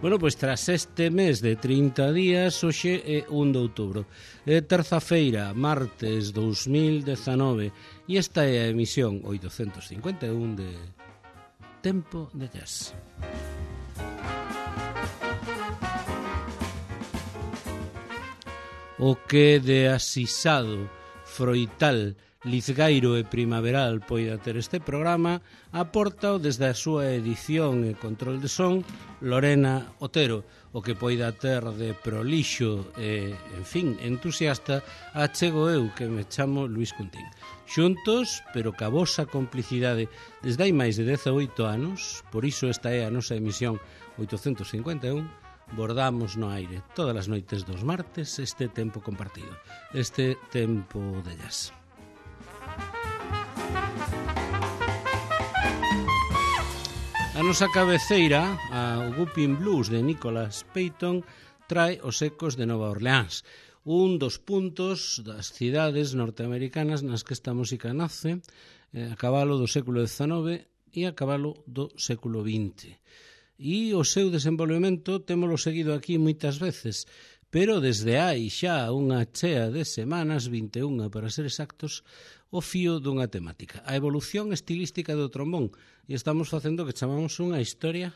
Bueno, pois tras este mes de 30 días, hoxe é 1 de outubro. É terza-feira, martes 2019, e esta é a emisión 851 de Tempo de Jazz. O que de asisado, froital, lizgairo e primaveral poida ter este programa, aporta desde a súa edición e control de son Lorena Otero, o que poida ter de prolixo e, en fin, entusiasta, achego eu, que me chamo Luís Cuntín. Xuntos, pero ca vosa complicidade desde hai máis de 18 anos, por iso esta é a nosa emisión 851, bordamos no aire todas as noites dos martes este tempo compartido, este tempo de jazz. A nosa cabeceira, o Whooping Blues de Nicholas Payton, trae os ecos de Nova Orleans, un dos puntos das cidades norteamericanas nas que esta música nace, a cabalo do século XIX e a cabalo do século XX. E o seu desenvolvemento témolo seguido aquí moitas veces, pero desde hai xa unha chea de semanas, 21 para ser exactos, o fío dunha temática, a evolución estilística do trombón, e estamos facendo que chamamos unha historia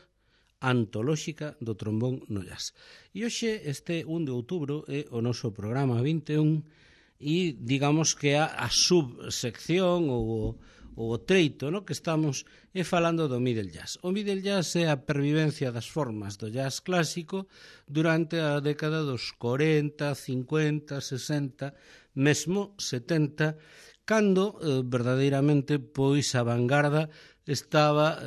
antolóxica do trombón no jazz. E hoxe, este 1 de outubro, é o noso programa 21, e digamos que a subsección ou o treito, no, que estamos é falando do middle jazz. O middle jazz é a pervivencia das formas do jazz clásico durante a década dos 40, 50, 60, mesmo 70, cando verdadeiramente pois a vanguarda estaba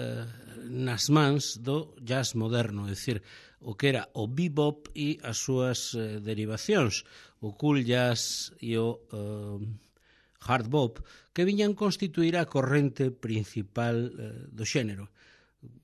nas mans do jazz moderno, é dicir, o que era o bebop e as súas derivacións, o cool jazz e o hard bop, que viñan constituir a corrente principal do xénero.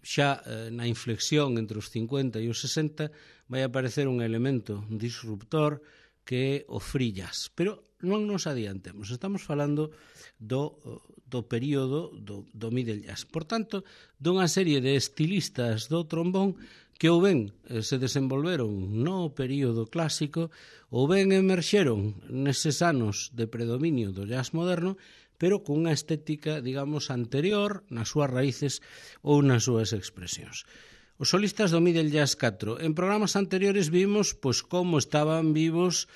Xa na inflexión entre os 50 e os 60 vai aparecer un elemento disruptor que é o free jazz, pero non nos adiantemos, estamos falando do período do middle jazz. Por tanto, dunha serie de estilistas do trombón que ou ben se desenvolveron no período clásico ou ben emerxeron neses anos de predominio do jazz moderno, pero cunha estética, digamos, anterior nas súas raíces ou nas súas expresións. Os solistas do Middle Jazz 4. En programas anteriores vimos pois como estaban vivos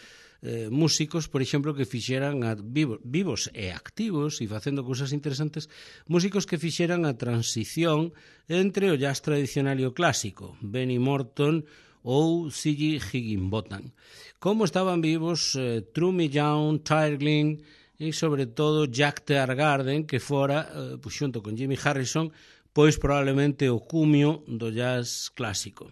músicos, por exemplo, que fixeran vivos e activos e facendo cousas interesantes, músicos que fixeran a transición entre o jazz tradicional e o clásico, Benny Morton ou C.G. Higginbotham. Como estaban vivos Trummy Young, Tyre Glynn e, sobre todo, Jack Teargarden, que fora, pois, xunto con Jimmy Harrison, pois probablemente o cumio do jazz clásico.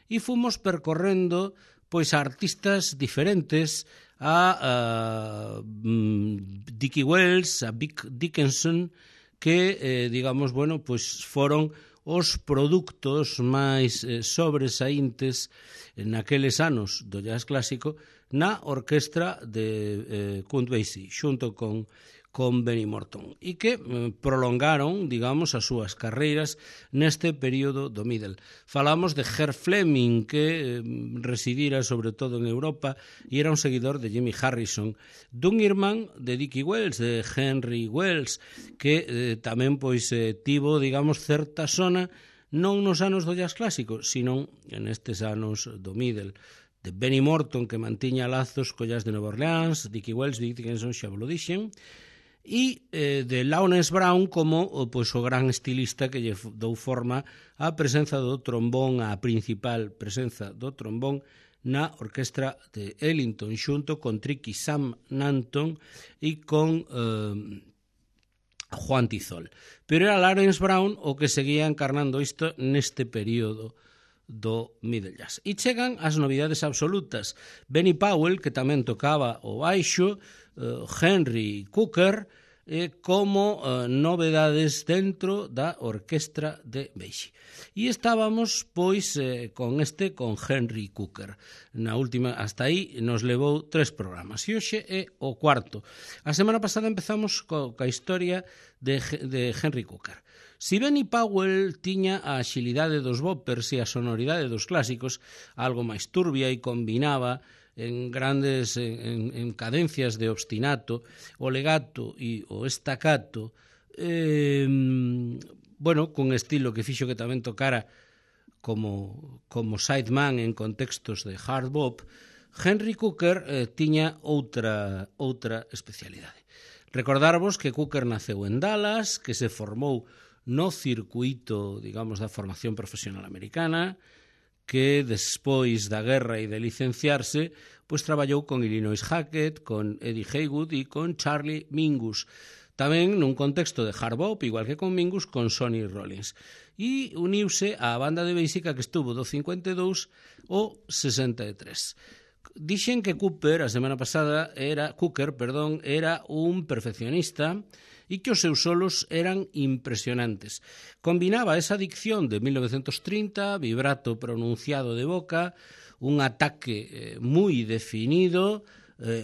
E fomos percorrendo pois artistas diferentes, a Dickie Wells, a Vic Dickinson, que, digamos, bueno, pois foron os produtos máis sobresaíntes naqueles anos do jazz clásico na orquestra de Count Basie, xunto con Benny Morton, e que prolongaron, digamos, as súas carreiras neste período do middle. Falamos de Herb Fleming, que residira sobre todo en Europa e era un seguidor de Jimmy Harrison, dun irmán de Dickie Wells, de Henry Wells, que tamén pois tivo, digamos, certa sona non nos anos do jazz clásico, sino en estes anos do middle, de Benny Morton, que mantiña lazos co jazz de Nova Orleans, Dickie Wells, Vic Dickinson, xa vos lo dixen, e de Lawrence Brown como pois, o gran estilista que lle dou forma á presenza do trombón, a principal presenza do trombón na orquestra de Ellington, xunto con Tricky Sam Nanton e con Juan Tizol. Pero era Lawrence Brown o que seguía encarnando isto neste período do middle jazz. E chegan as novidades absolutas. Benny Powell, que tamén tocaba o baixo, Henry Cooker, como novedades dentro da orquestra de Basie. E estábamos, pois, con Henry Cooker. Na última, hasta aí, nos levou 3 programas. E hoxe é o cuarto. A semana pasada empezamos coa historia de Henry Cooker. Si Benny Powell tiña a axilidade dos boppers e a sonoridade dos clásicos, algo máis turbia e combinaba en grandes en cadencias de obstinato, o legato e o estacato, bueno, cun estilo que fixo que tamén tocara como sideman en contextos de hard bop, Henry Cooker tiña outra especialidade. Recordarvos que Cooker naceu en Dallas, que se formou no circuito, digamos, da formación profesional americana, que despois da guerra e de licenciarse, pois traballou con Illinois Hackett, con Eddie Haywood e con Charlie Mingus. Tamén nun contexto de hard bop, igual que con Mingus, con Sonny Rollins. E uniuse á banda de Basica que estuvo do 52 ao 63. Dixen que Cooker era un perfeccionista e que os seus solos eran impresionantes. Combinaba esa dicción de 1930, vibrato pronunciado de boca, un ataque moi definido,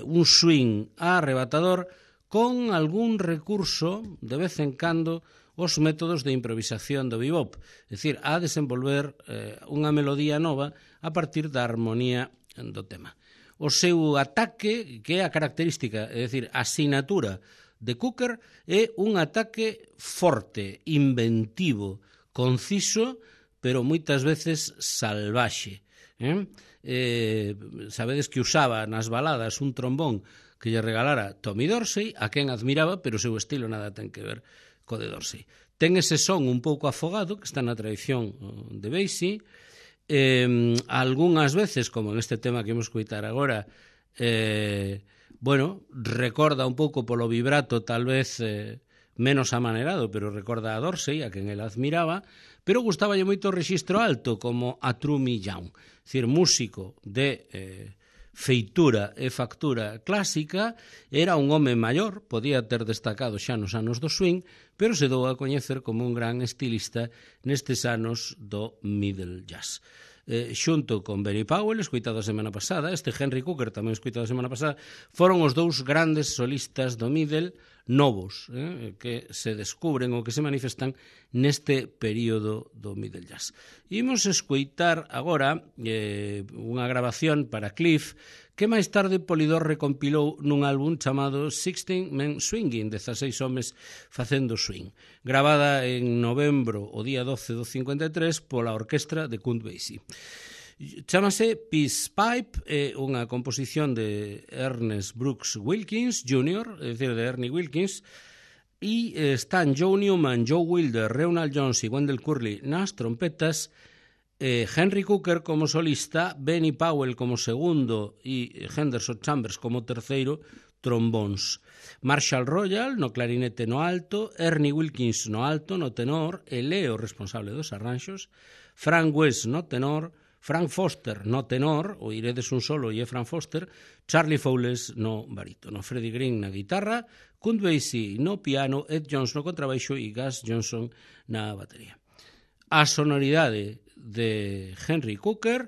un swing arrebatador, con algún recurso, de vez en cando, os métodos de improvisación do bebop, é dicir, a desenvolver unha melodía nova a partir da armonía do tema. O seu ataque, que é a característica, é dicir, a asignatura de Cooker, é un ataque forte, inventivo, conciso, pero moitas veces salvaxe. Sabedes que usaba nas baladas un trombón que lle regalara Tommy Dorsey, a quen admiraba, pero o seu estilo nada ten que ver co de Dorsey. Ten ese son un pouco afogado, que está na tradición de Basie, algunhas veces, como en este tema que imos coitar agora, bueno, recorda un pouco polo vibrato, tal vez menos amanerado, pero recorda a Dorsey, a quen el admiraba, pero gustaballe moito o rexistro alto, como a True Young, é dicir, músico de feitura e factura clásica, era un home maior, podía ter destacado xa nos anos do swing, pero se dou a coñecer como un gran estilista nestes anos do middle jazz. Xunto con Benny Powell, escoitado a semana pasada, este Henry Cooker tamén escoitado a semana pasada, foron os dous grandes solistas do middle novos, que se descubren ou que se manifestan neste período do middle jazz. Imos escoitar agora unha grabación para Cliff que máis tarde Polydor recompilou nun álbum chamado 16 Men Swinging, 16 homes facendo swing, gravada en novembro o día 12 do 53 pola orquestra de Count Basie. Chámase Peace Pipe, é unha composición de Ernest Brooks Wilkins Jr., é dicir, de Ernie Wilkins, e están Joe Newman, Joe Wilder, Reynald Jones e Wendell Curley nas trompetas, Henry Cooker como solista, Benny Powell como segundo e Henderson Chambers como terceiro trombóns. Marshall Royal no clarinete no alto, Ernie Wilkins no alto, no tenor, e Leo responsable dos arranxos, Frank West no tenor, Frank Foster no tenor, o iredes un solo e é Frank Foster, Charlie Fowles no barítono, Freddie Green na guitarra, Count Basie no piano, Ed Jones no contrabaixo e Gus Johnson na batería. A sonoridade de Henry Cooker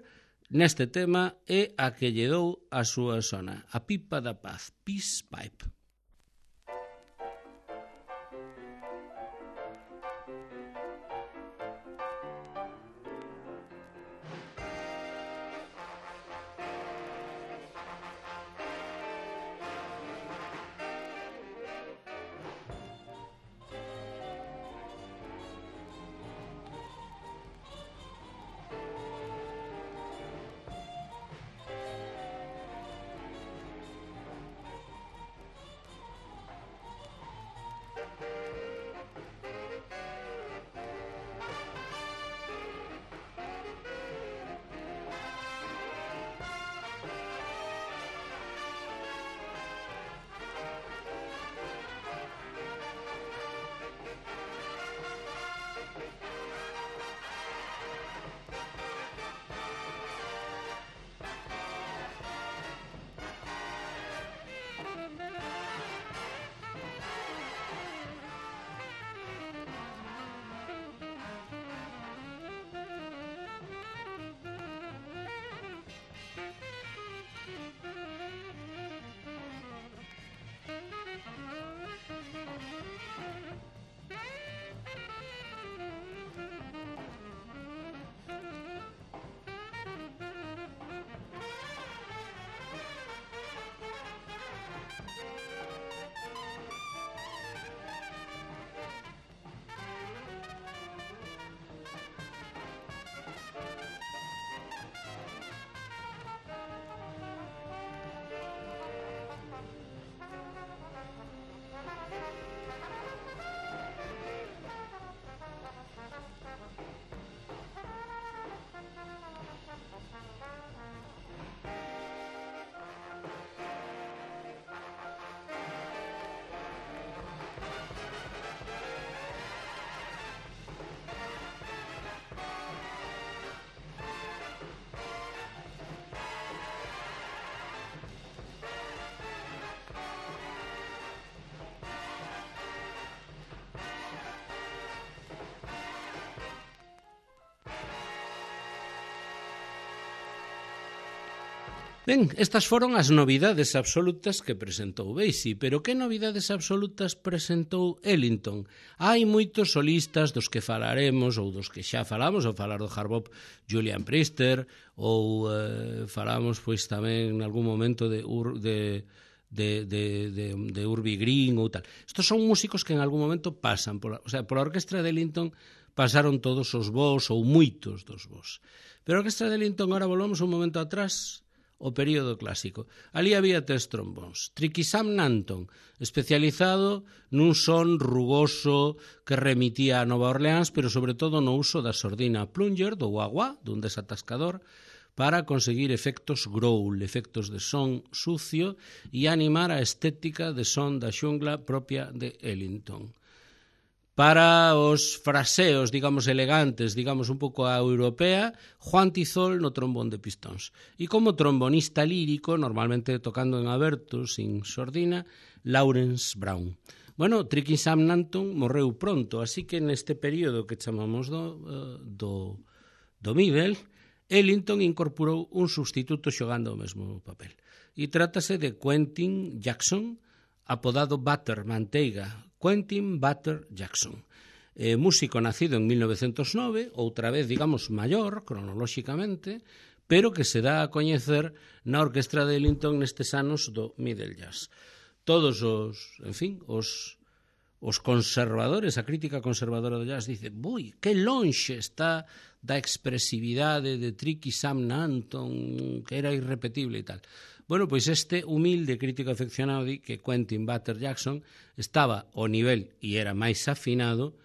neste tema é a que lle dou a súa sona, a pipa da paz, Peace Pipe. Ben, estas foron as novidades absolutas que presentou Basie, pero que novidades absolutas presentou Ellington? Hai moitos solistas dos que falaremos, ou dos que xa falamos, ou falar do hard bop Julian Priester, ou falamos pois tamén en algún momento de Urbie Green ou tal. Estos son músicos que en algún momento pasan, pola orquestra de Ellington pasaron todos os bos ou moitos dos bos. Pero a orquestra de Ellington, agora volvamos un momento atrás, o período clásico. Ali había 3 trombóns. Tricky Sam Nanton, especializado nun son rugoso que remitía a Nova Orleans, pero sobre todo no uso da sordina plunger, do wah-wah, dun desatascador, para conseguir efectos growl, efectos de son sucio e animar a estética de son da xungla propia de Ellington. Para os fraseos, digamos, elegantes, digamos, un pouco a europea, Juan Tizol no trombón de pistóns. E como trombonista lírico, normalmente tocando en aberto, sin sordina, Lawrence Brown. Bueno, Tricky Sam Nanton morreu pronto, así que neste período que chamamos do middle, Ellington incorporou un sustituto xogando o mesmo papel. E trátase de Quentin Jackson, apodado Butter, manteiga, Quentin Butter Jackson. Músico nacido en 1909, outra vez, digamos, maior, cronolóxicamente, pero que se dá a coñecer na orquestra de Ellington nestes anos do Middle Jazz. Todos os conservadores, a crítica conservadora do jazz dice, que lonxe está da expresividade de Tricky Sam Nanton, que era irrepetible e tal. Bueno, pois este humilde crítico afeccionado di que Quentin Butter Jackson estaba ao nivel e era máis afinado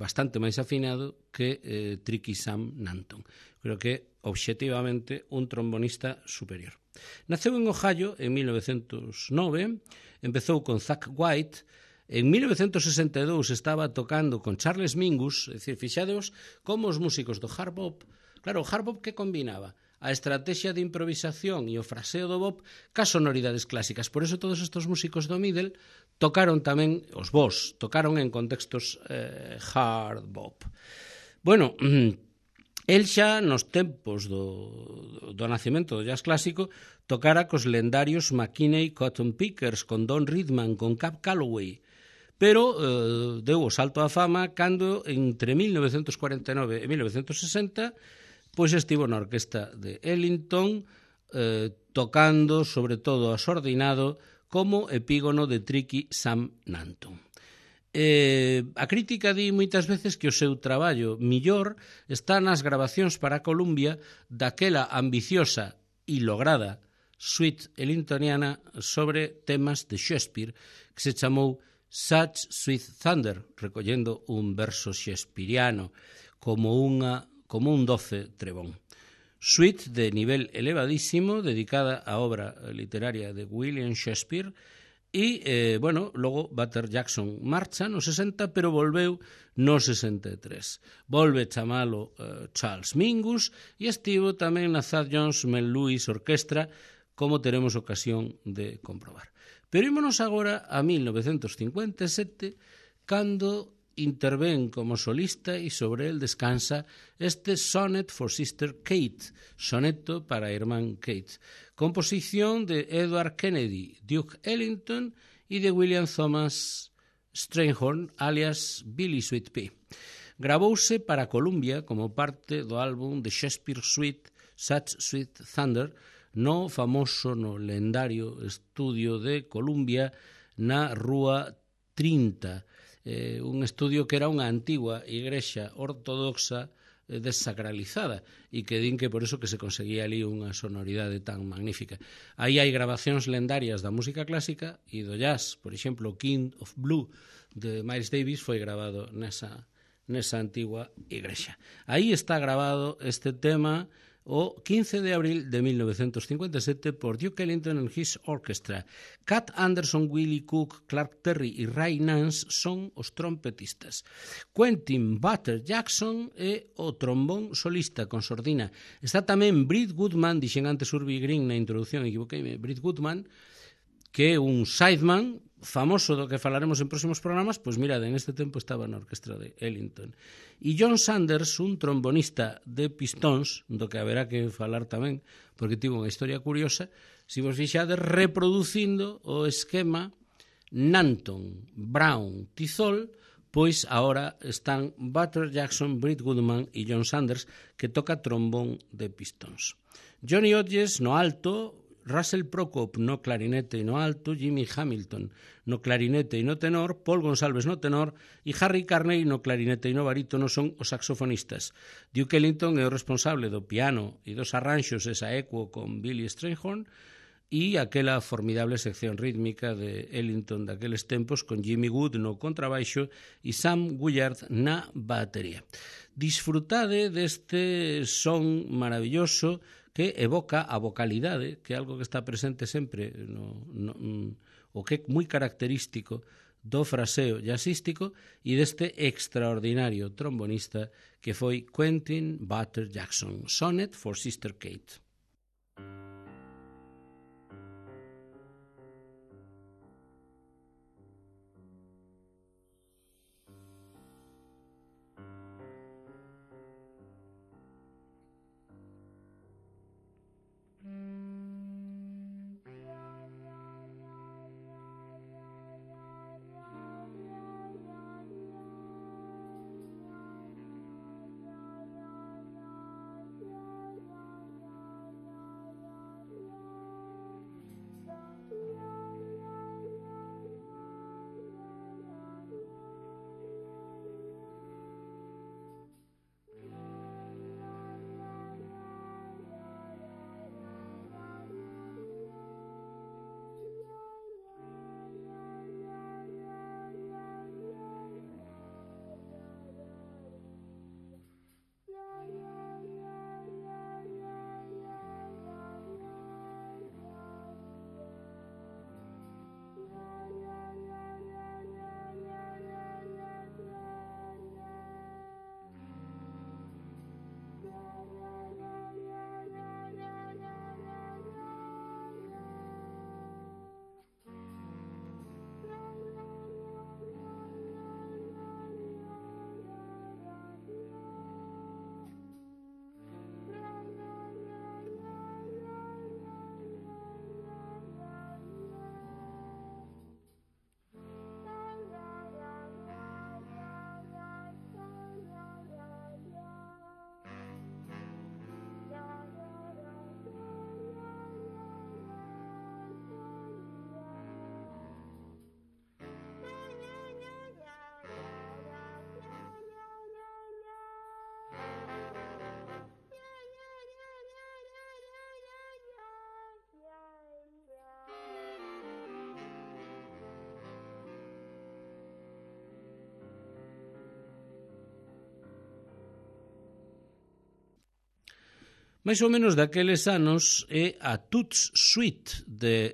bastante máis afinado que Tricky Sam Nanton. Creo que, obxectivamente, un trombonista superior. Naceu en Ohio en 1909, empezou con Zach White. En 1962 estaba tocando con Charles Mingus, é dicir, fixadeos como os músicos do hard bop. Claro, o hard bop que combinaba? A estrategia de improvisación e o fraseo do bop cas sonoridades clásicas. Por eso todos estes músicos do middle tocaron tamén, os bos, tocaron en contextos hard bop. Bueno, el xa nos tempos do nacemento do jazz clásico tocara cos lendarios McKinney Cotton Pickers, con Don Ridman, con Cab Calloway, pero deu o salto á fama cando entre 1949 e 1960 pois estivo na orquesta de Ellington tocando sobre todo asordinado como epígono de Tricky Sam Nanton. A crítica di moitas veces que o seu traballo millor está nas grabacións para Columbia daquela ambiciosa e lograda suite ellingtoniana sobre temas de Shakespeare que se chamou Such Sweet Thunder, recollendo un verso shakespeariano como un doce trebón. Suite de nivel elevadísimo, dedicada á obra literaria de William Shakespeare, e, logo Butter Jackson marcha no 60, pero volveu no 63. Volve chamalo Charles Mingus e estivo tamén na Thad Jones Mel Lewis Orquestra, como teremos ocasión de comprobar. Pero ímonos agora a 1957, cando intervén como solista e sobre el descansa este Sonnet for Sister Kate, soneto para a irmán Kate, composición de Edward Kennedy, Duke Ellington e de William Thomas Strayhorn, alias Billy Sweet Pea. Gravouse para Columbia como parte do álbum de Shakespeare Suite Such Sweet Thunder, no famoso, no lendario estudio de Columbia na Rúa 30, un estudio que era unha antigua igrexa ortodoxa desacralizada e que din que por eso que se conseguía ali unha sonoridade tan magnífica. Aí hai grabacións lendarias da música clásica e do jazz, por exemplo, King of Blue de Miles Davis foi grabado nesa antigua igrexa. Aí está grabado este tema o 15 de abril de 1957 por Duke Ellington and His Orchestra. Cat Anderson, Willie Cook, Clark Terry e Ray Nance son os trompetistas. Quentin Butter Jackson é o trombón solista con sordina. Está tamén Britt Goodman, dixen antes Urbie Green na introducción, equivoqueime, Britt Goodman, que é un sideman famoso do que falaremos en próximos programas, pois mirade, en este tempo estaba na orquestra de Ellington. E John Sanders, un trombonista de Pistons, do que haberá que falar tamén, porque tivo unha historia curiosa, se vos fixades, reproducindo o esquema Nanton, Brown, Tizol, pois agora están Butter Jackson, Britt Goodman e John Sanders, que toca trombón de Pistons. Johnny Hodges no alto, Russell Prokop no clarinete e no alto, Jimmy Hamilton no clarinete e no tenor, Paul Gonsalves no tenor e Harry Carney no clarinete e no barítono son os saxofonistas. Duke Ellington é o responsable do piano e dos arranxos esa equo con Billy Strayhorn e aquela formidable sección rítmica de Ellington daqueles tempos con Jimmy Wood no contrabaixo e Sam Gullard na batería. Disfrutade deste son maravilloso que evoca a vocalidade, que é algo que está presente sempre o que é moi característico do fraseo jazzístico e deste extraordinario trombonista que foi Quentin Butter Jackson. Sonnet for Sister Kate. Mais ou menos daqueles anos é a Toots Suite de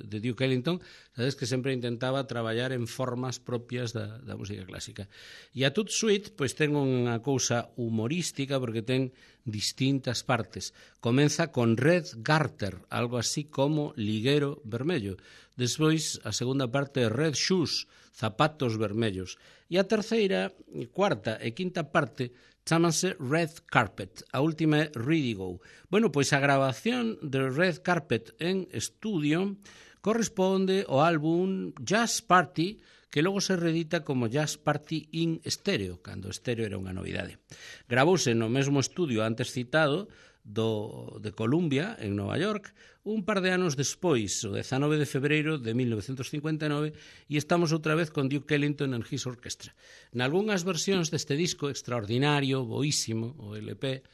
Duke Ellington. Sabes que sempre intentaba traballar en formas propias da música clásica. E a Toots Suite pois ten unha cousa humorística porque ten distintas partes. Comeza con Red Garter, algo así como liguero vermello. Despois a segunda parte é Red Shoes, zapatos vermellos. E a terceira, cuarta e quinta parte chámanse Red Carpet, a última é Ready Go. Bueno, pois a grabación de Red Carpet en estudio corresponde ao álbum Jazz Party, que logo se reedita como Jazz Party in Stereo, cando estéreo era unha novidade. Gravouse no mesmo estudio antes citado de Columbia, en Nova York, un par de anos despois, o 19 de febreiro de 1959, e estamos outra vez con Duke Ellington en His Orchestra. Nalgúnas versións deste disco extraordinario, boísimo, o LP,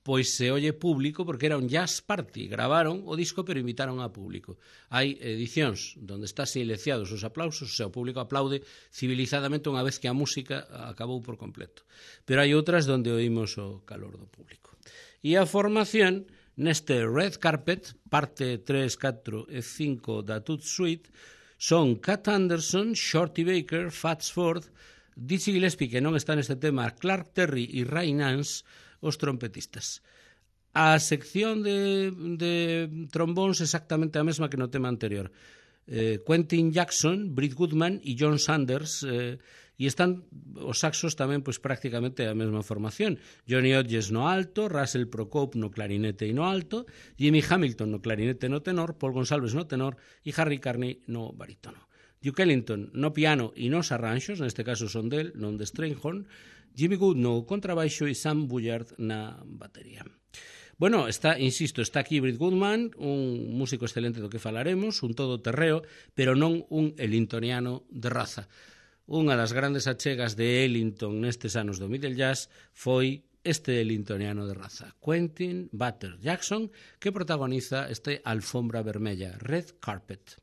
pois se olle público porque era un jazz party. Gravaron o disco pero invitaron a público. Hai edicións onde está silenciados os aplausos, o sea, o público aplaude civilizadamente unha vez que a música acabou por completo. Pero hai outras onde oímos o calor do público. E a formación neste Red Carpet, parte 3, 4 e 5 da Toots Suite, son Cat Anderson, Shorty Baker, Fats Ford, Dizzy Gillespie, que non está neste tema, Clark Terry e Ray Nance, os trompetistas. A sección de trombóns exactamente a mesma que no tema anterior. Quentin Jackson, Britt Goodman e John Sanders, e están os saxos tamén pois prácticamente a mesma formación. Johnny Hodges no alto, Russell Procope no clarinete e no alto, Jimmy Hamilton no clarinete e no tenor, Paul Gonsalves no tenor e Harry Carney no barítono. Duke Ellington no piano e nos arranxos, neste caso son del, non de Strayhorn, Jimmy Good no contrabaixo e Sam Bullard na batería. Bueno, insisto, está aquí Britt Goodman, un músico excelente do que falaremos, un todoterreo, pero non un ellingtoniano de raza. Unha das grandes achegas de Ellington nestes anos do Middle Jazz foi este ellingtoniano de raza, Quentin Butter Jackson, que protagoniza este Alfombra Vermella, Red Carpet.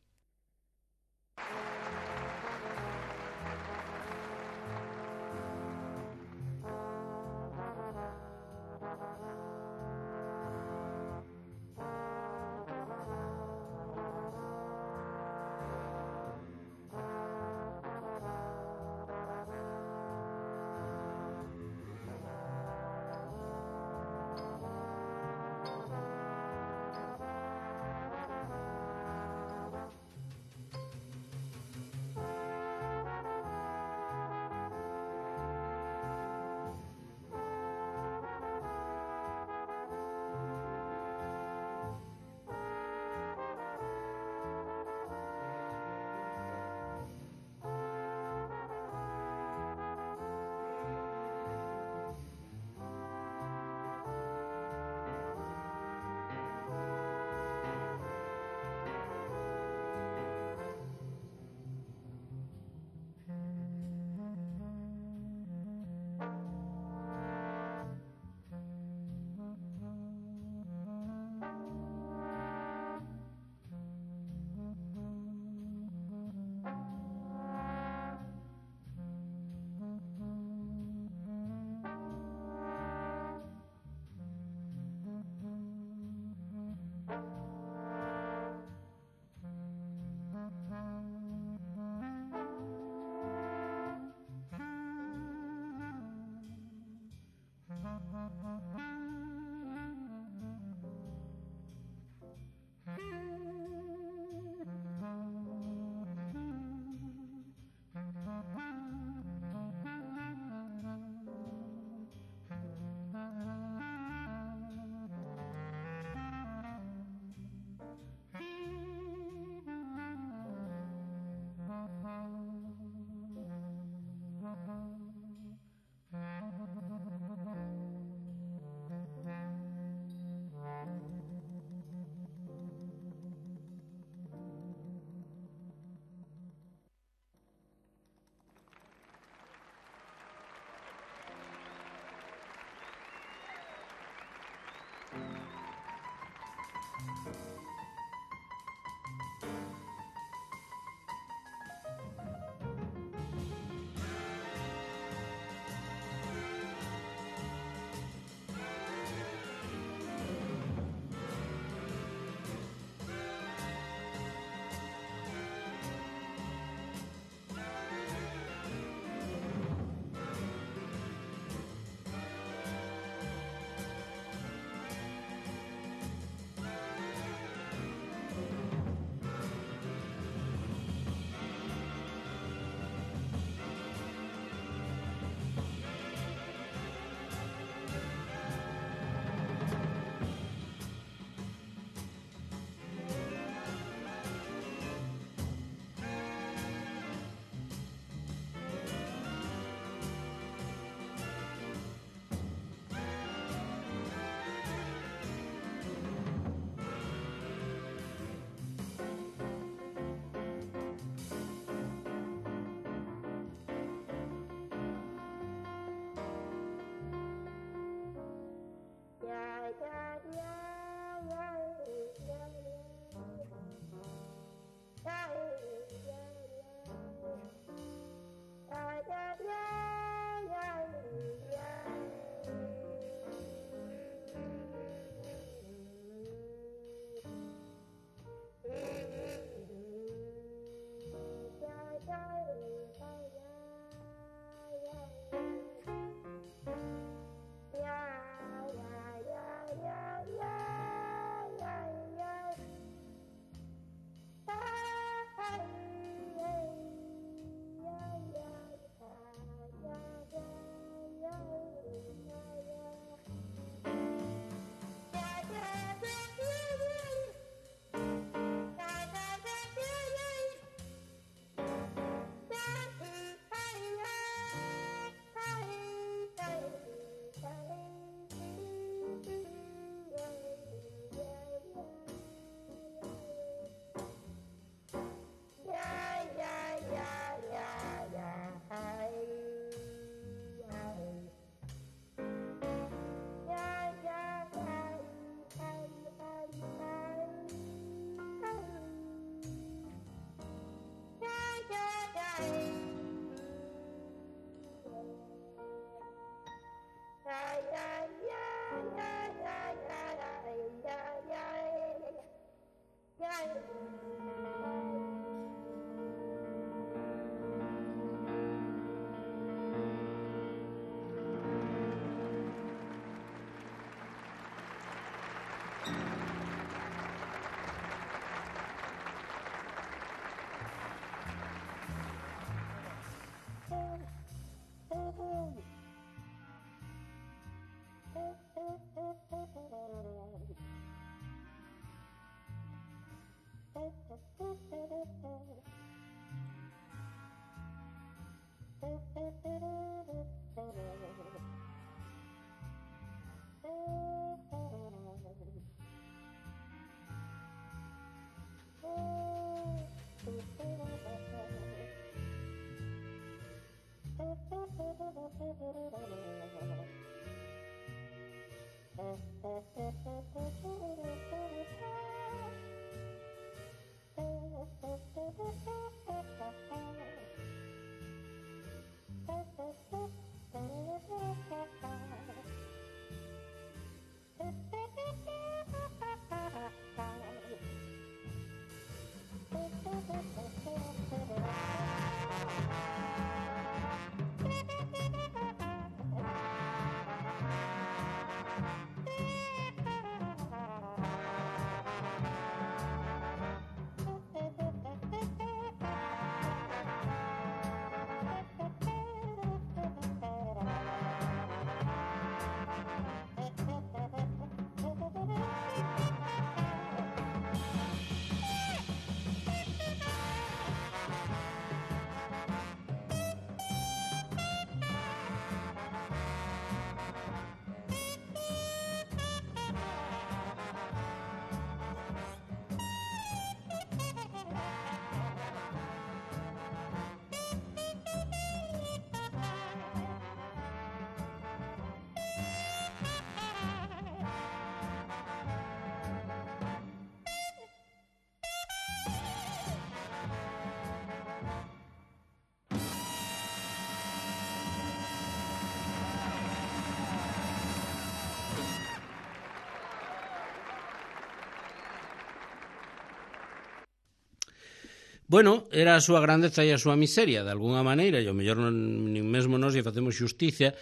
Bueno, era a súa grandeza e a súa miseria, de alguna maneira, e ao mellor nin mesmo nós lle facemos xusticia.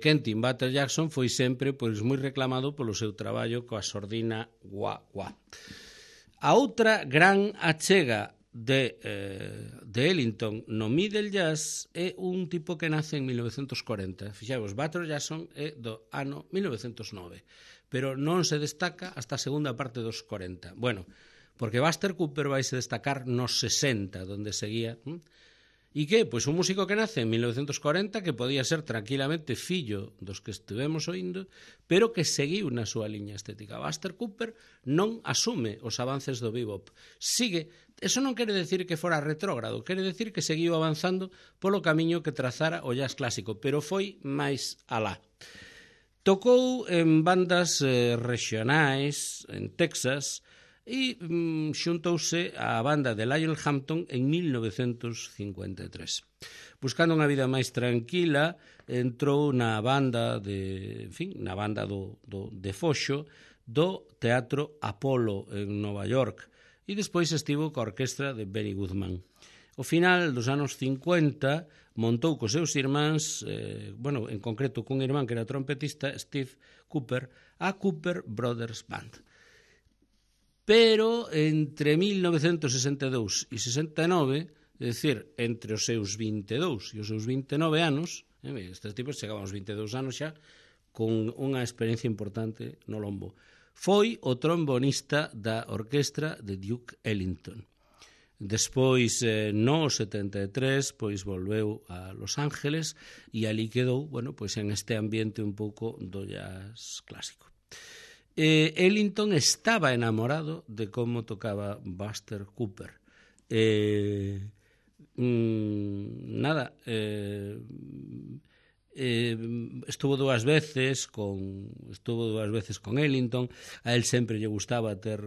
Quentin Butter Jackson foi sempre moi reclamado polo seu traballo coa sordina wah-wah. A outra gran achega de Ellington no middle jazz é un tipo que nace en 1940. Fixavos, Butter Jackson é do ano 1909, pero non se destaca hasta a segunda parte dos 40. Bueno, porque Buster Cooper vai se destacar nos 60, donde seguía. E que? Pois un músico que nace en 1940, que podía ser tranquilamente fillo dos que estivemos oindo, pero que seguiu na súa liña estética. Buster Cooper non asume os avances do bebop. Sigue. Eso non quere decir que fora retrógrado, quere decir que seguiu avanzando polo camiño que trazara o jazz clásico, pero foi máis alá. Tocou en bandas regionais, en Texas, e xuntouse á banda de Lionel Hampton en 1953. Buscando unha vida máis tranquila, entrou na banda de foxo do Teatro Apollo en Nova York e despois estivo coa orquestra de Benny Goodman. Ao final dos anos 50 montou cos seus irmáns, en concreto cun irmán que era trompetista, Steve Cooper, a Cooper Brothers Band. Pero entre 1962 e 69, é dicir, entre os seus 22 e os seus 29 anos, estes tipos chegaban aos 22 anos xa, con unha experiencia importante no lombo. Foi o trombonista da orquestra de Duke Ellington. Despois, no 73, pois volveu a Los Ángeles e ali quedou, en este ambiente un pouco do jazz clásico. Ellington estaba enamorado de como tocaba Buster Cooper. Estuvo dúas veces con Ellington. A él sempre lle gustaba ter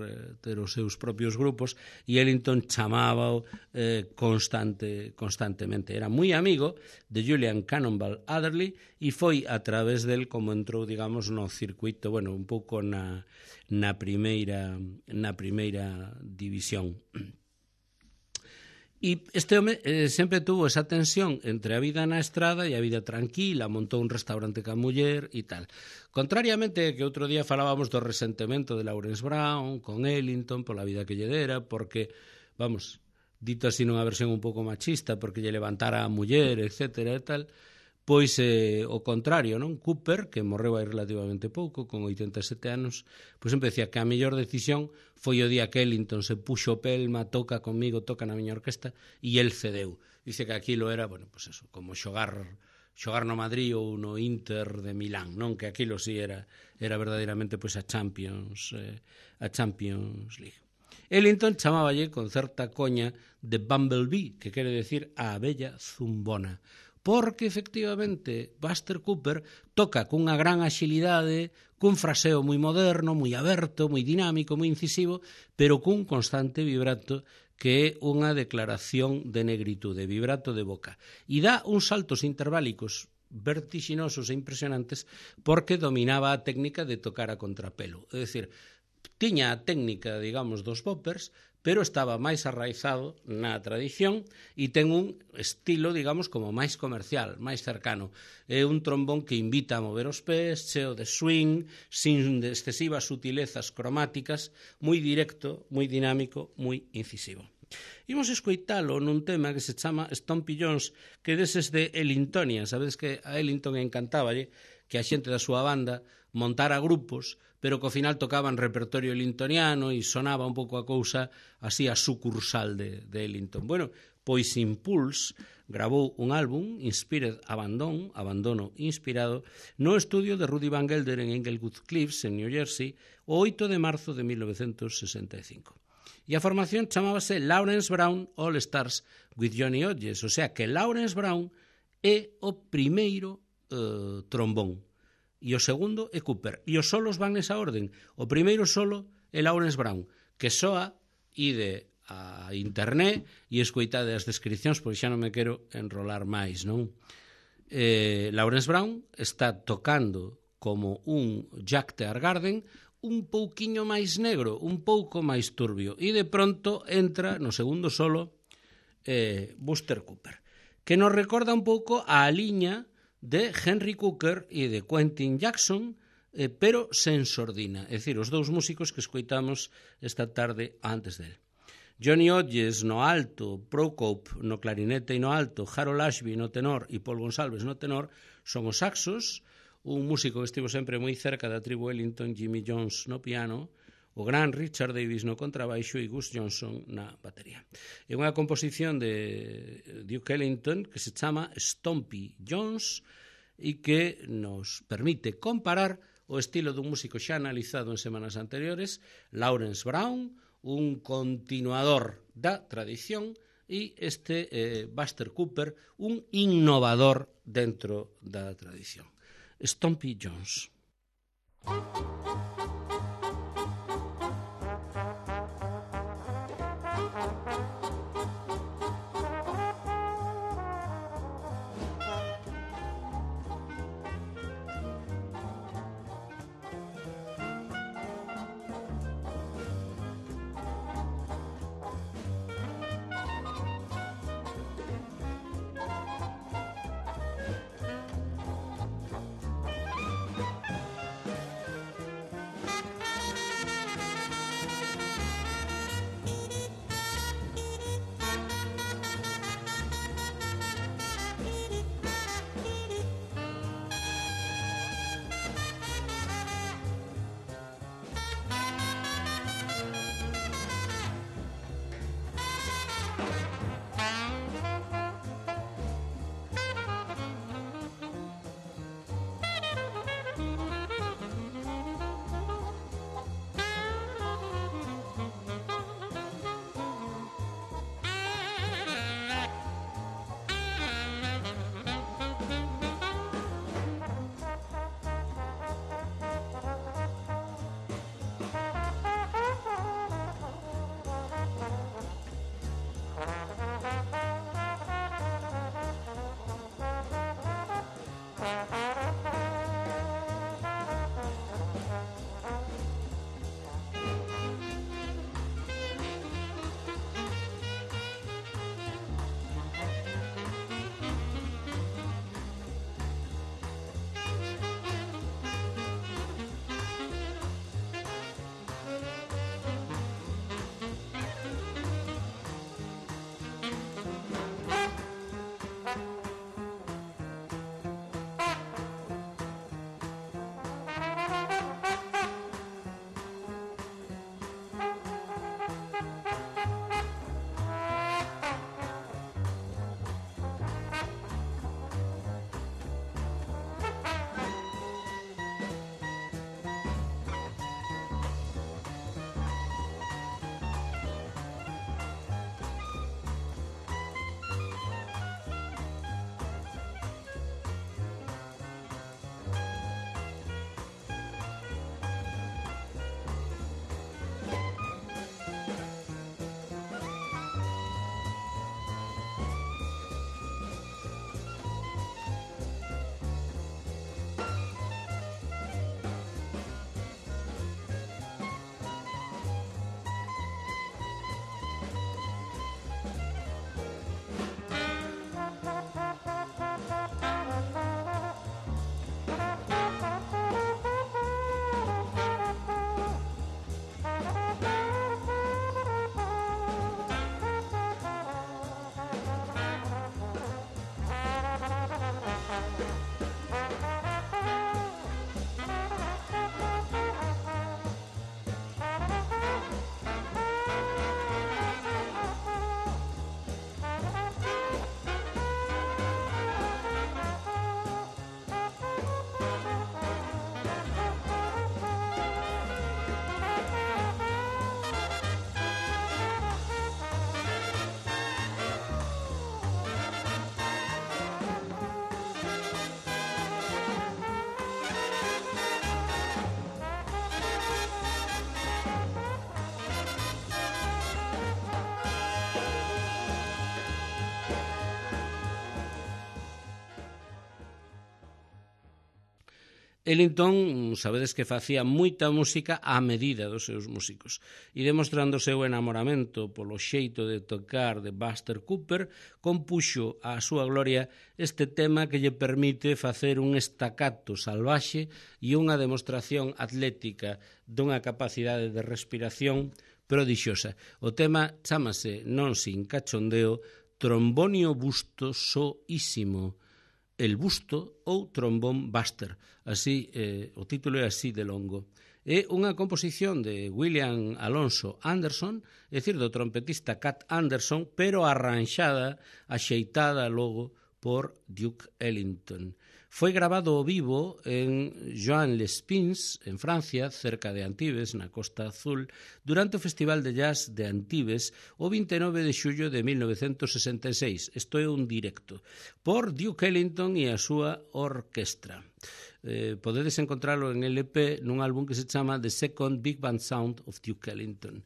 os seus propios grupos e Ellington chamábao constantemente. Era moi amigo de Julian Cannonball Adderley e foi a través del como entrou, digamos, no circuito, un pouco na primeira división. E este home sempre tuvo esa tensión entre a vida na estrada e a vida tranquila, montou un restaurante ca muller e tal. Contrariamente que outro día falábamos do resentimento de Lawrence Brown con Ellington pola vida que lle dera, porque, dito así nunha versión un pouco machista, porque lle levantara a muller, etcétera e tal, pois o contrario, non? Cooper, que morreu hai relativamente pouco, con 87 anos, pois sempre decía que a mellor decisión foi o día que Ellington se puxo pelma, toca comigo, toca na miña orquesta, e el cedeu. Dice que aquilo era, como xogar no Madrid ou no Inter de Milán, non? Que aquilo sí era verdadeiramente a Champions League. Ellington chamáballe con certa coña de Bumblebee, que quere decir a abella zumbona, porque efectivamente Buster Cooper toca cunha gran axilidade, cun fraseo moi moderno, moi aberto, moi dinámico, moi incisivo, pero cun constante vibrato que é unha declaración de negritude, vibrato de boca. E dá uns saltos interválicos vertiginosos e impresionantes porque dominaba a técnica de tocar a contrapelo. É dicir, tiña a técnica, digamos, dos boppers, pero estaba máis arraizado na tradición e ten un estilo, digamos, como máis comercial, máis cercano. É un trombón que invita a mover os pés, cheo de swing, sin excesivas sutilezas cromáticas, moi directo, moi dinámico, moi incisivo. Imos escoitalo nun tema que se chama Stompy Jones, que deses de Ellingtonia. Sabedes que a Ellington encantáballe que a xente da súa banda montara grupos, pero que ao final tocaban repertorio ellingtoniano e sonaba un pouco a cousa así a sucursal de Ellington. Bueno, pois Impulse gravou un álbum, Inspired Abandon, Abandono Inspirado, no estudio de Rudy Van Gelder en Englewood Cliffs, en New Jersey, o 8 de marzo de 1965. E a formación chamábase Lawrence Brown All Stars with Johnny Hodges, o sea que Lawrence Brown é o primeiro trombón. E o segundo é Cooper. E os solos van nesa orden. O primeiro solo é Lawrence Brown, que soa ide a internet e escoitade as descripcións, pois xa non me quero enrolar máis, non? Lawrence Brown está tocando como un Jack Teargarden, un pouquiño máis negro, un pouco máis turbio, e de pronto entra no segundo solo Buster Cooper, que nos recorda un pouco a liña de Henry Cooker e de Quentin Jackson, pero sen sordina, é dicir, os dous músicos que escoitamos esta tarde antes del. Johnny Hodges no alto, Prokop no clarinete e no alto, Harold Ashby no tenor e Paul Gonsalves no tenor son os saxos, un músico que estivo sempre moi cerca da tribu Ellington, Jimmy Jones no piano, o gran Richard Davis no contrabaixo e Gus Johnson na batería. É unha composición de Duke Ellington que se chama Stompy Jones e que nos permite comparar o estilo dun músico xa analizado en semanas anteriores, Lawrence Brown, un continuador da tradición, e este Buster Cooper, un innovador dentro da tradición. Stompy Jones. Ellington, sabedes que facía moita música á medida dos seus músicos e demostrando o seu enamoramento polo xeito de tocar de Buster Cooper, compuxo á súa gloria este tema que lle permite facer un estacato salvaxe e unha demostración atlética dunha capacidade de respiración prodixiosa. O tema chámase, non sin cachondeo, Trombonio busto soísimo, el busto ou trombón Buster. Así, o título é así de longo. É unha composición de William Alonso Anderson, é dicir, do trompetista Cat Anderson, pero arranxada, axeitada logo por Duke Ellington. Foi grabado ao vivo en Joan-les-Pins, en Francia, cerca de Antibes, na Costa Azul, durante o Festival de Jazz de Antibes o 29 de xullo de 1966. Isto é un directo por Duke Ellington e a súa orquestra. Podedes encontralo en LP nun álbum que se chama The Second Big Band Sound of Duke Ellington.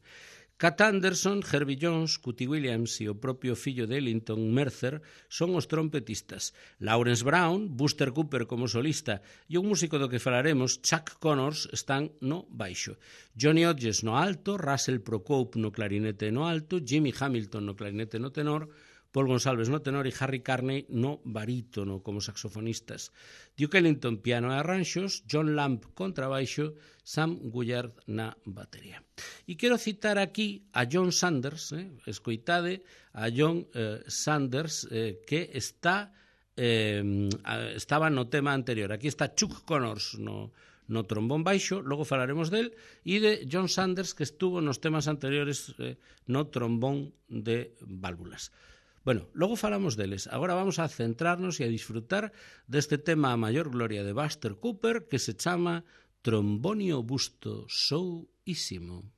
Cat Anderson, Herbie Jones, Cootie Williams e o propio fillo de Ellington, Mercer, son os trompetistas. Lawrence Brown, Buster Cooper como solista e un músico do que falaremos, Chuck Connors, están no baixo. Johnny Hodges no alto, Russell Procope no clarinete no alto, Jimmy Hamilton no clarinete no tenor, Paul Gonsalves no tenor e Harry Carney no barítono como saxofonistas. Duke Ellington piano e arranxos, John Lamb contrabaixo, Sam Gullard na batería. E quero citar aquí a John Sanders, escoitade a John Sanders, que estaba no tema anterior. Aquí está Chuck Connors no trombón baixo, logo falaremos del, e de John Sanders, que estuvo nos temas anteriores no trombón de válvulas. Bueno, logo falamos deles. Agora vamos a centrarnos e a disfrutar deste tema a maior gloria de Buster Cooper que se chama Trombonio busto soísimo.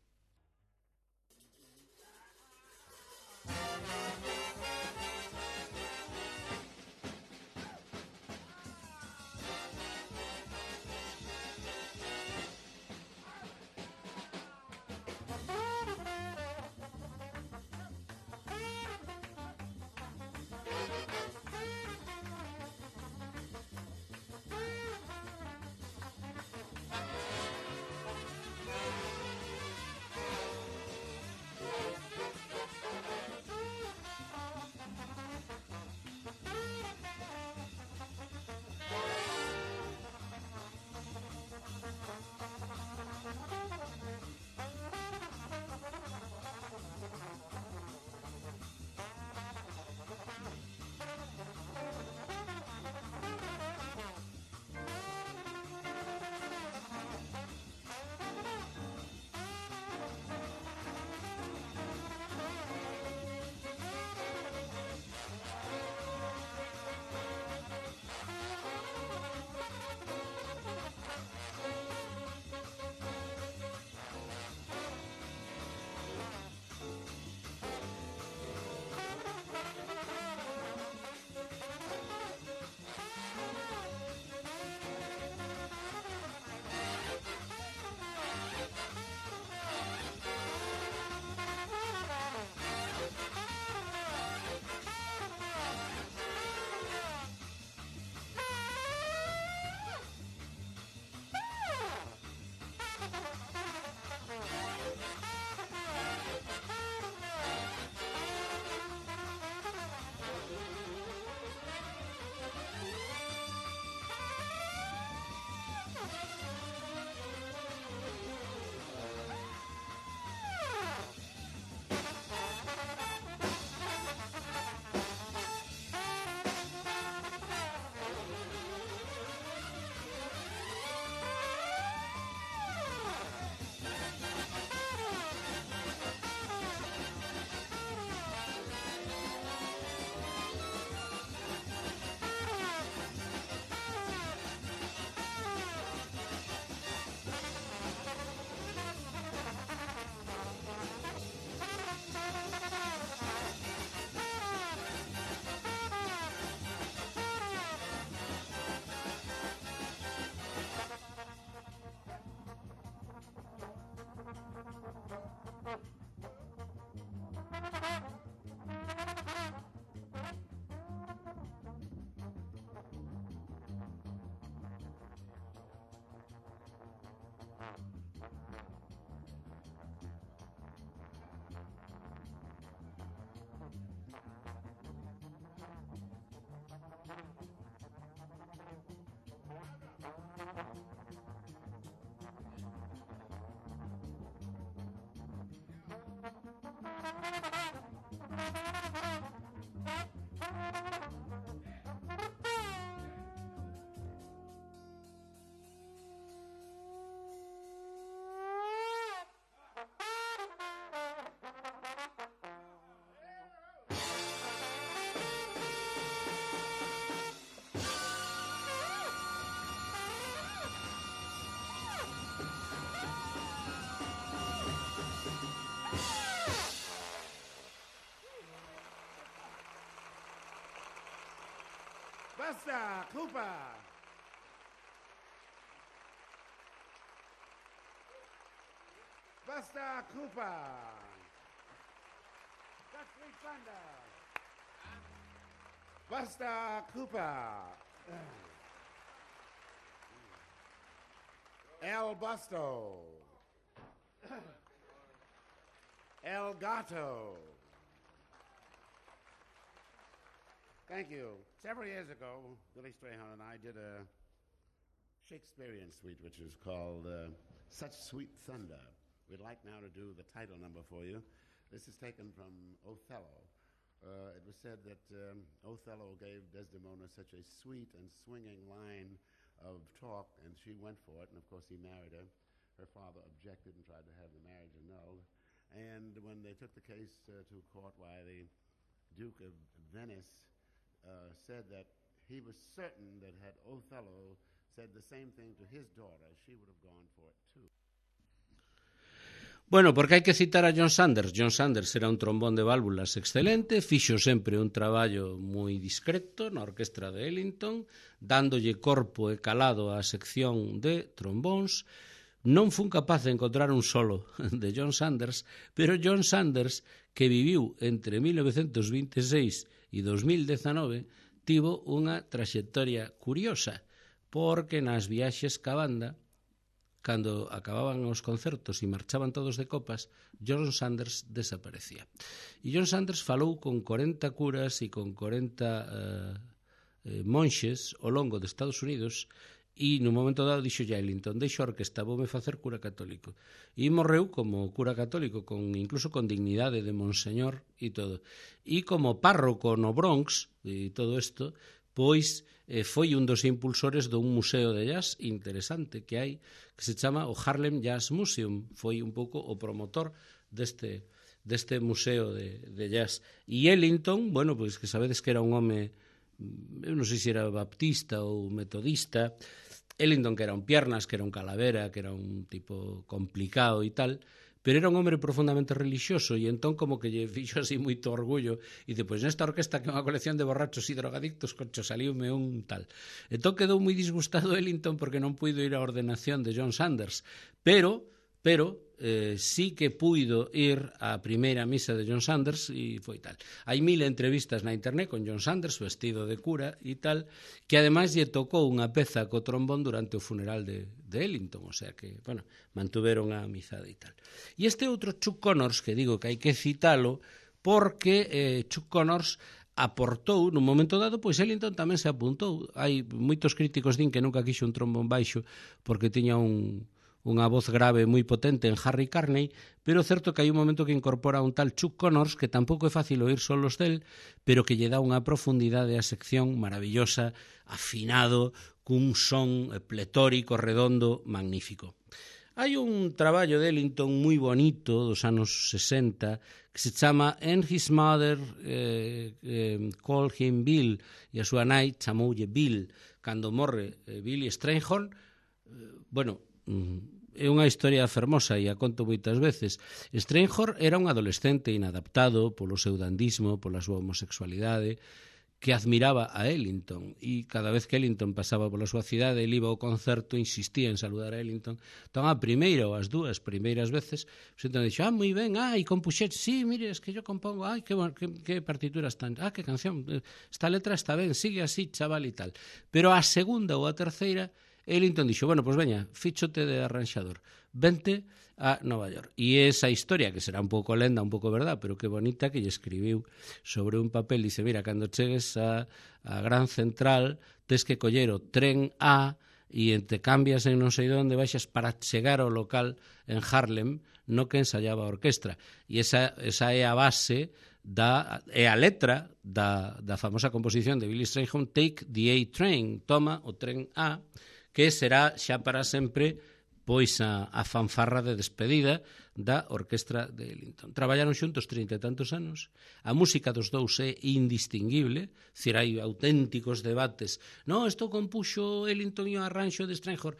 Buster Cooper. Buster Cooper. That's Sweet Thunder. Buster Cooper. El Busto. El Gato. Thank you. Several years ago, Billy Strayhorn and I did a Shakespearean suite, which is called Such Sweet Thunder. We'd like now to do the title number for you. This is taken from Othello. It was said that Othello gave Desdemona such a sweet and swinging line of talk, and she went for it, and of course he married her. Her father objected and tried to have the marriage annulled. And when they took the case to court, why the Duke of Venice said that he was certain that had Othello said the same thing to his daughter, she would have gone for it too. Bueno, porque hai que citar a John Sanders. John Sanders era un trombón de válvulas excelente, fixo sempre un traballo moi discreto na orquestra de Ellington, dándolle corpo e calado á sección de trombóns. Non fun capaz de encontrar un solo de John Sanders, pero John Sanders, que viviu entre 1926 e 2019, tivo unha traxectoria curiosa, porque nas viaxes ca banda, cando acababan os concertos e marchaban todos de copas, John Sanders desaparecía. E John Sanders falou con 40 curas e con 40 monxes ao longo de Estados Unidos, e nun momento dado dixo a Ellington: deixo a orquesta, voume facer cura católico. E morreu como cura católico, incluso con dignidade de monseñor e todo. E como párroco no Bronx e todo isto, pois foi un dos impulsores dun museo de jazz interesante que hai, que se chama o Harlem Jazz Museum. Foi un pouco o promotor deste museo de jazz. E Ellington, bueno, pois que sabedes que era un home, eu non sei se era baptista ou metodista. Ellington, que era un piernas, que era un calavera, que era un tipo complicado e tal, pero era un hombre profundamente religioso, e entón como que lle fixo así moito orgullo, e depois nesta orquesta que é unha colección de borrachos e drogadictos, concho, saliume un tal. Entón quedou moi disgustado Ellington porque non puido ir á ordenación de John Sanders, pero sí que puido ir á primeira misa de John Sanders e foi tal. Hai 1000 entrevistas na internet con John Sanders vestido de cura e tal, que ademais lle tocou unha peza co trombón durante o funeral de Ellington, o sea que, bueno, mantuveron a amizade e tal. E este outro Chuck Connors, que digo que hai que citalo, porque Chuck Connors aportou, nun momento dado, pois Ellington tamén se apuntou. Hai moitos críticos din que nunca quixo un trombón baixo porque tiña unha voz grave moi potente en Harry Carney, pero certo que hai un momento que incorpora un tal Chuck Connors, que tampouco é fácil oír solos del, pero que lle dá unha profundidade á sección maravillosa, afinado, cun son pletórico, redondo, magnífico. Hai un traballo de Ellington moi bonito dos anos 60 que se chama And His Mother Called Him Bill, e a súa nai chamoulle Bill. Cando morre Billy Strayhorn, bueno, é unha historia fermosa e a conto moitas veces. Strayhorn era un adolescente inadaptado polo seu dandismo, pola súa homosexualidade, que admiraba a Ellington, e cada vez que Ellington pasaba pola súa cidade, ele iba ao concerto, insistía en saludar a Ellington. Entón, a primeira ou as dúas primeiras veces, Ellington dixo: moi ben, e compuxete, sí, mire, es que yo compongo, que partituras tan, que canción, esta letra está ben, sigue así, chaval, e tal. Pero a segunda ou a terceira, Ellington dixo: bueno, pois veña, fíchote de arranxador, vente a Nova York. E esa historia, que será un pouco lenda, un pouco verdad, pero que bonita, que lle escribiu sobre un papel, dice: mira, cando chegues a Gran Central, tes que coller o tren A e te cambias en non sei onde, baixas para chegar ao local en Harlem, no que ensayaba a orquestra. E esa é a base é a letra da famosa composición de Billy Strayhorn, Take the A Train, toma o tren A, que será xa para sempre pois a fanfarra de despedida da orquestra de Ellington. Traballaron xuntos 30 e tantos anos, a música dos dous é indistinguible, dicir, hai auténticos debates, non, isto compuxo Ellington e o arranxo de Strayhorn,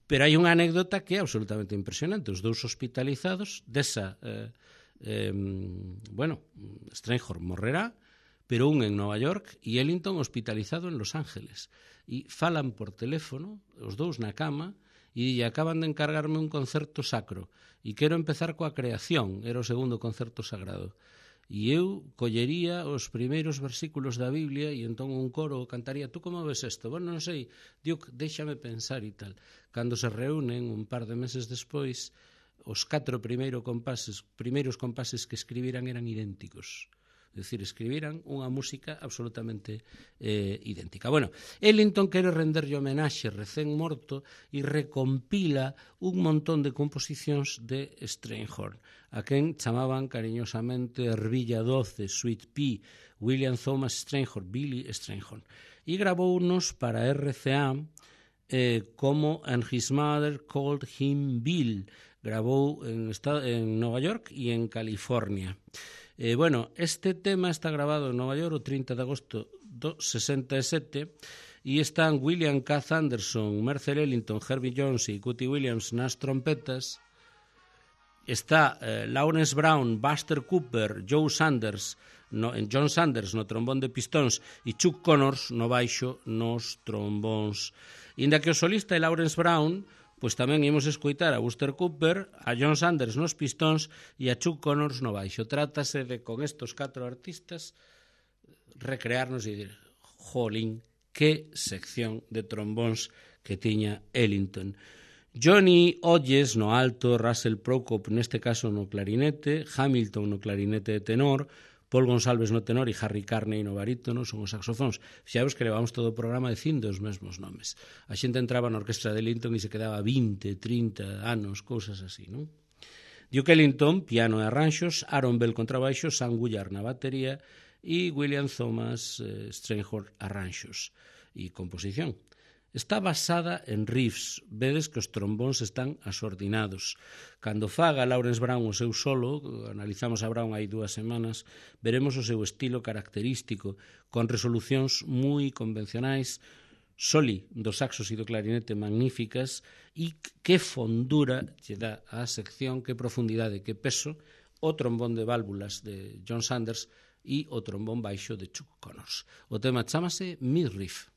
pero hai unha anécdota que é absolutamente impresionante, os dous hospitalizados desa, Strayhorn morrerá, pero un en Nova York e Ellington hospitalizado en Los Ángeles, e falan por teléfono, os dous na cama, e acaban de encargarme un concerto sacro e quero empezar coa creación, era o segundo concerto sagrado, e eu collería os primeiros versículos da Biblia e entón un coro cantaría, tú como ves isto? Bueno, non sei, Duke, déxame pensar e tal. Cando se reúnen un par de meses despois, os 4 primeiros compases que escribiran eran idénticos. É dicir, escribiran unha música absolutamente idéntica. Bueno, Ellington quere renderlle homenaxe recén morto e recompila un montón de composicións de Strayhorn, a quen chamaban cariñosamente Ervilla 12, Sweet Pea, William Thomas Strayhorn, Billy Strayhorn. E grabounos para RCA como And His Mother Called Him Bill. Grabou en Nova York e en California. Este tema está grabado en Nova York o 30 de agosto do 67 e están William K. Anderson, Mercer Ellington, Herbie Jones e Cootie Williams nas trompetas. Está Lawrence Brown, Buster Cooper, John Sanders no trombón de pistóns e Chuck Connors no baixo nos trombóns. Inda que o solista é Lawrence Brown, pois tamén imos escoitar a Buster Cooper, a John Sanders nos pistóns e a Chuck Connors no baixo. Trátase de, con estos 4 artistas, recrearnos e dir, jolín, que sección de trombóns que tiña Ellington. Johnny Hodges no alto, Russell Prokop neste caso no clarinete, Hamilton no clarinete de tenor, Paul Gonsalves no tenor e Harry Carney no barítono son os saxofóns. Fixaos que levamos todo o programa dicindo os mesmos nomes. A xente entraba na orquestra de Ellington e se quedaba 20, 30 anos, cousas así, non? Duke Ellington, piano e arranxos, Aaron Bell contrabaixo, Sam Willard na batería e William Thomas Strayhorn arranxos e composición. Está basada en riffs, vedes que os trombóns están asordinados. Cando faga Lawrence Brown o seu solo, analizamos a Brown hai 2 semanas, veremos o seu estilo característico, con resolucións moi convencionais, soli do saxos e do clarinete magníficas, e que fondura lle dá á sección, que profundidade, que peso, o trombón de válvulas de John Sanders e o trombón baixo de Chuck Connors. O tema chámase Midriff.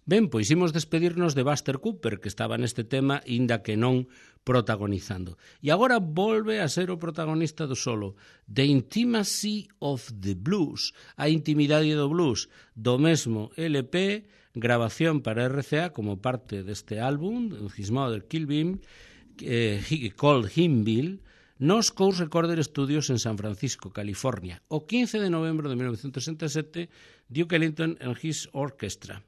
Ben, pois imos despedirnos de Buster Cooper, que estaba neste tema, inda que non protagonizando. E agora volve a ser o protagonista do solo, The Intimacy of the Blues, a intimidade do blues, do mesmo LP, grabación para RCA como parte deste álbum, His Mother Killed Him, called Him Bill, nos Coast Recorder Studios en San Francisco, California, o 15 de novembro de 1967, Duke Ellington and His Orchestra.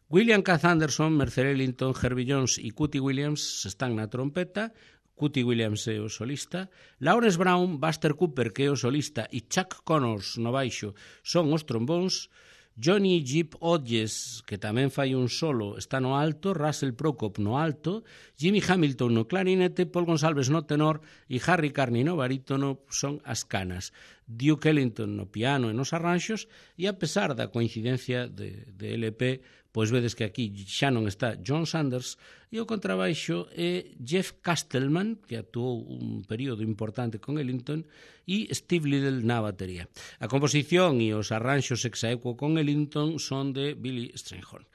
William Kath Anderson, Mercer Ellington, Herbie Jones e Cootie Williams están na trompeta, Cootie Williams é o solista, Lawrence Brown, Buster Cooper, que é o solista, e Chuck Connors no baixo son os trombóns, Johnny Jeep Hodges, que tamén fai un solo, está no alto, Russell Prokop no alto, Jimmy Hamilton no clarinete, Paul Gonsalves no tenor e Harry Carney no barítono son as canas. Duke Ellington no piano e nos arranxos, e a pesar da coincidencia de LP, pois vedes que aquí xa non está John Sanders, e o contrabaixo é Jeff Castleman, que actuou un período importante con Ellington, e Steve Liddell na batería. A composición e os arranxos exaequo con Ellington son de Billy Strayhorn.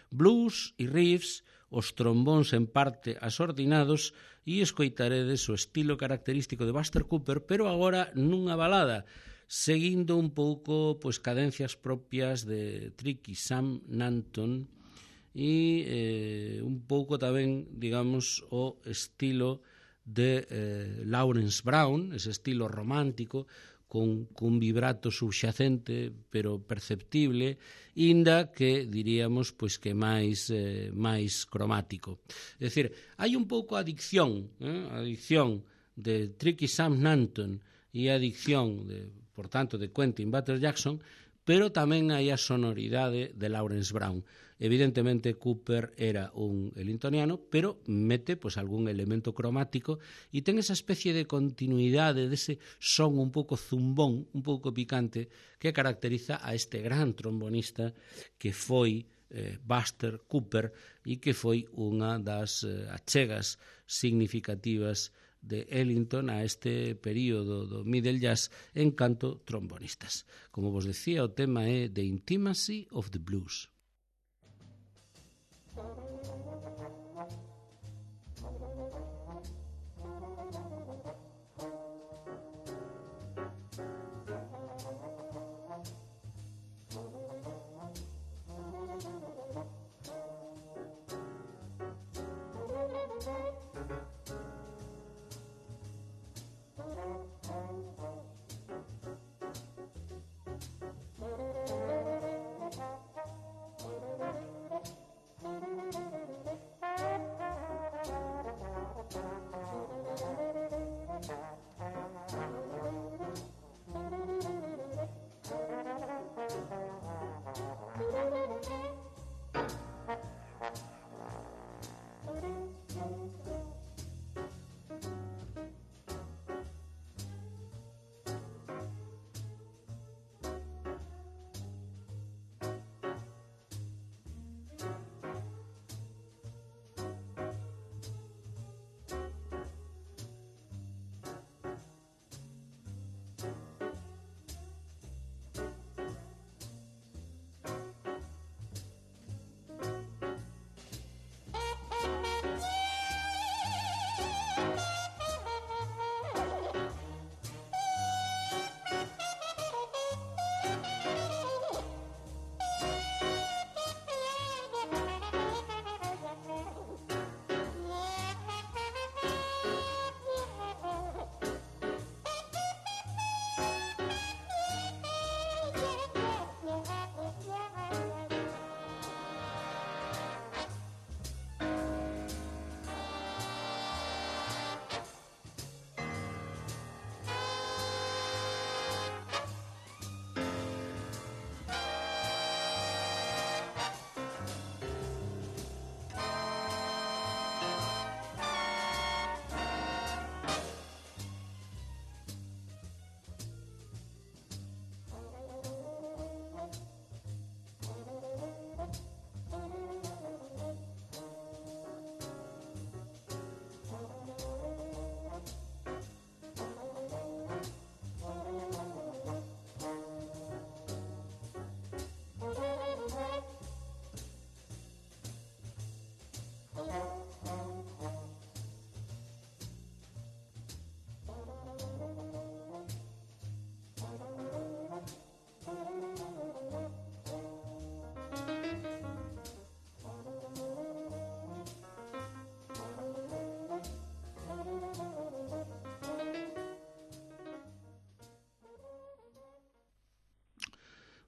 Blues e riffs, os trombóns en parte asordinados, e escoitaredes o estilo característico de Buster Cooper, pero agora nunha balada, seguindo un pouco pois cadencias propias de Tricky Sam Nanton e un pouco tamén, digamos, o estilo de Lawrence Brown, ese estilo romántico con vibrato subxacente pero perceptible, inda que diríamos pois que máis cromático. É dicir, hai un pouco a adicción de Tricky Sam Nanton e a adicción por tanto, de Quentin Butler Jackson, pero tamén hai a sonoridade de Lawrence Brown. Evidentemente, Cooper era un ellingtoniano, pero mete pois, algún elemento cromático e ten esa especie de continuidade dese son un pouco zumbón, un pouco picante, que caracteriza a este gran trombonista que foi Buster Cooper e que foi unha das achegas significativas de Ellington a este período do middle jazz en canto trombonistas. Como vos decía, o tema é The Intimacy of the Blues.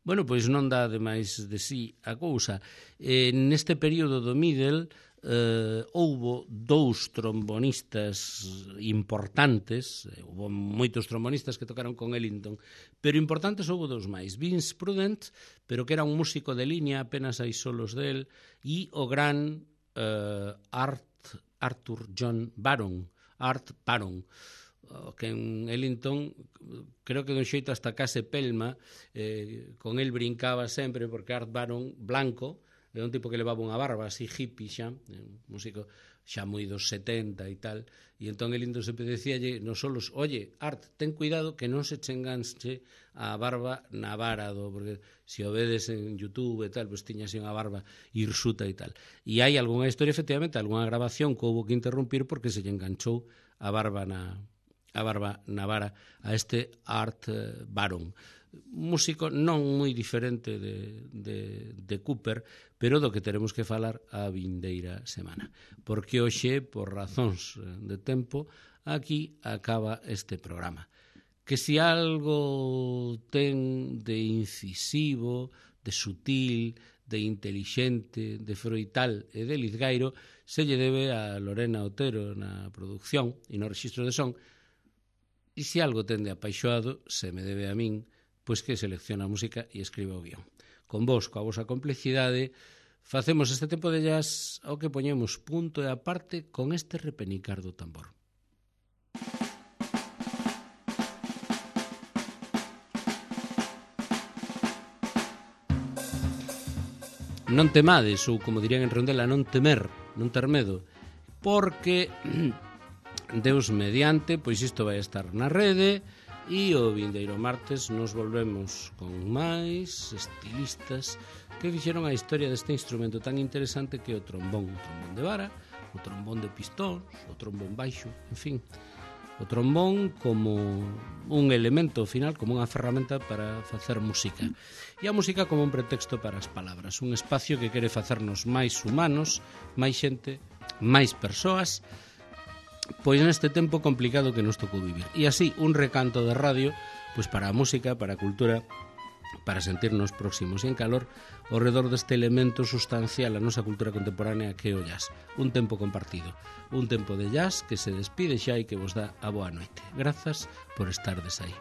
Bueno, pois non dá de máis de sí a cousa. Neste período do Middle houbo 2 trombonistas importantes, houbo moitos trombonistas que tocaron con Ellington, pero importantes houbo 2 máis. Vince Prudent, pero que era un músico de liña, apenas hai solos del, e o gran Arthur John Baron, Art Baron, que en Ellington creo que dun xeito hasta case pelma, con el brincaba sempre, porque Art Baron, blanco, é un tipo que levaba unha barba así hippie xa, un músico xa moi dos 70 e tal, e entón Ellington sempre decíalle nos solos, oye, Art, ten cuidado que non se che enganche a barba na vara porque se o vedes en YouTube e tal, pois tiña así unha barba hirsuta e tal. E hai algunha historia, efectivamente, algunha grabación que houve que interrumpir porque se lle enganchou a barba na vara a este Art Baron, músico non moi diferente de Cooper, pero do que teremos que falar a vindeira semana, porque hoxe, por razóns de tempo, aquí acaba este programa. Que se algo ten de incisivo, de sutil, de intelixente, de froital e de lizgairo, se lle debe a Lorena Otero na produción e no rexistro de son. E se algo ten de apaixoado, se me debe a min, pois que selecciona a música e escribe o guión. Con vos, coa vosa complicidade, facemos este tempo de jazz ao que poñemos punto e aparte con este repenicar do tambor. Non temades, ou como dirían en Rondela, non temer, non ter medo, porque Deus mediante, pois isto vai estar na rede e o vindeiro martes nos volvemos con máis estilistas que fixeron a historia deste instrumento tan interesante que é o trombón de vara, o trombón de pistóns, o trombón baixo, en fin, o trombón como un elemento final, como unha ferramenta para facer música. E a música como un pretexto para as palabras, un espacio que quere facernos máis humanos, máis xente, máis persoas, pois neste tempo complicado que nos tocou vivir. E así, un recanto de radio, pois para a música, para a cultura, para sentirnos próximos e en calor ao redor deste elemento sustancial a nosa cultura contemporánea que é o jazz. Un tempo compartido, un tempo de jazz que se despide xa e que vos dá a boa noite. Grazas por estardes aí.